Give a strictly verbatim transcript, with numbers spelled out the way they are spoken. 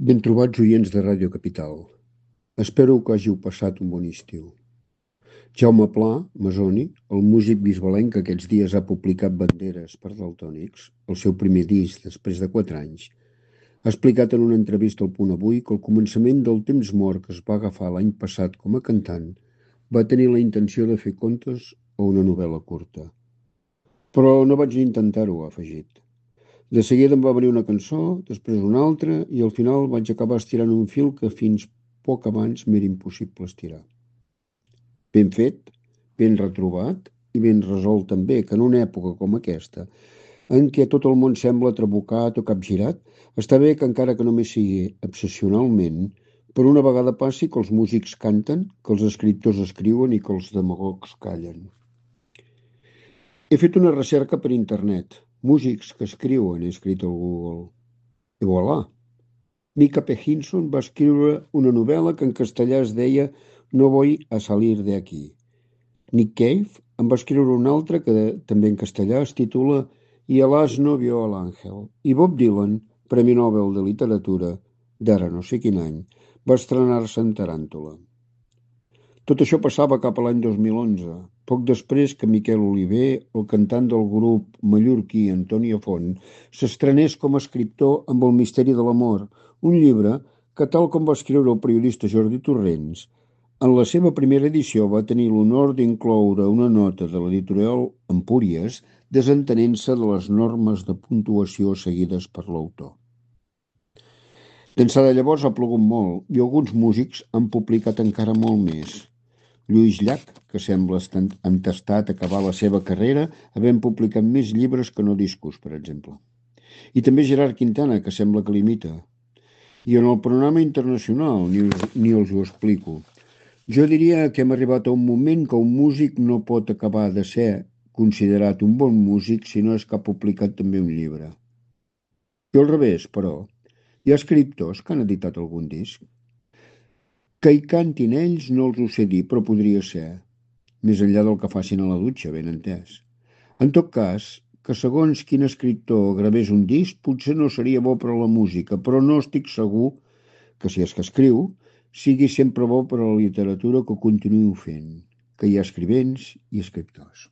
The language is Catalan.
Ben trobats oients de Ràdio Capital. Espero que hàgiu passat un bon estiu. Jaume Pla, Masoni, el músic bisbalenc que aquests dies ha publicat Banderes per Daltònics, el seu primer disc després de quatre anys, ha explicat en una entrevista al Punt Avui que al començament del temps mort que es va agafar l'any passat com a cantant va tenir la intenció de fer contes o una novel·la curta. Però no vaig intentar-ho, ha afegit. De seguida em va venir una cançó, després una altra, i al final vaig acabar estirant un fil que fins poc abans m'era impossible estirar. Ben fet, ben retrobat i ben resolt també, que en una època com aquesta, en què tot el món sembla trabucat o capgirat, està bé que encara que només sigui obsessionalment, per una vegada passi que els músics canten, que els escriptors escriuen i que els demagogs callen. He fet una recerca per internet. Músics que escriuen, he escrit al Google. I voilà! Mika P. Hinson va escriure una novel·la que en castellà es deia No voy a salir de aquí. Nick Cave en va escriure una altra que també en castellà es titula Y el asno vio al ángel. I Bob Dylan, Premi Nobel de Literatura, d'ara no sé quin any, va estrenar-se en Taràntula. Tot això passava cap a l'any dos mil onze, poc després que Miquel Oliver, el cantant del grup mallorquí Antonio Font, s'estrenés com a escriptor amb El misteri de l'amor, un llibre que, tal com va escriure el periodista Jordi Torrents, en la seva primera edició va tenir l'honor d'incloure una nota de l'editorial Empúries desentenent-se de les normes de puntuació seguides per l'autor. D'ençà de llavors ha plogut molt i alguns músics han publicat encara molt més. Lluís Llach, que sembla entestat a acabar la seva carrera, havent publicat més llibres que no discos, per exemple. I també Gerard Quintana, que sembla que l'imita. I en el panorama internacional ni, ni els ho explico. Jo diria que hem arribat a un moment que un músic no pot acabar de ser considerat un bon músic si no és que ha publicat també un llibre. I al revés, però, hi ha escriptors que han editat algun disc. Que hi cantin ells no els ho sé dir, però podria ser, més enllà del que facin a la dutxa, ben entès. En tot cas, que segons quin escriptor gravés un disc potser no seria bo per a la música, però no estic segur que si és que escriu, sigui sempre bo per a la literatura que ho continuï fent, que hi ha escrivents i escriptors.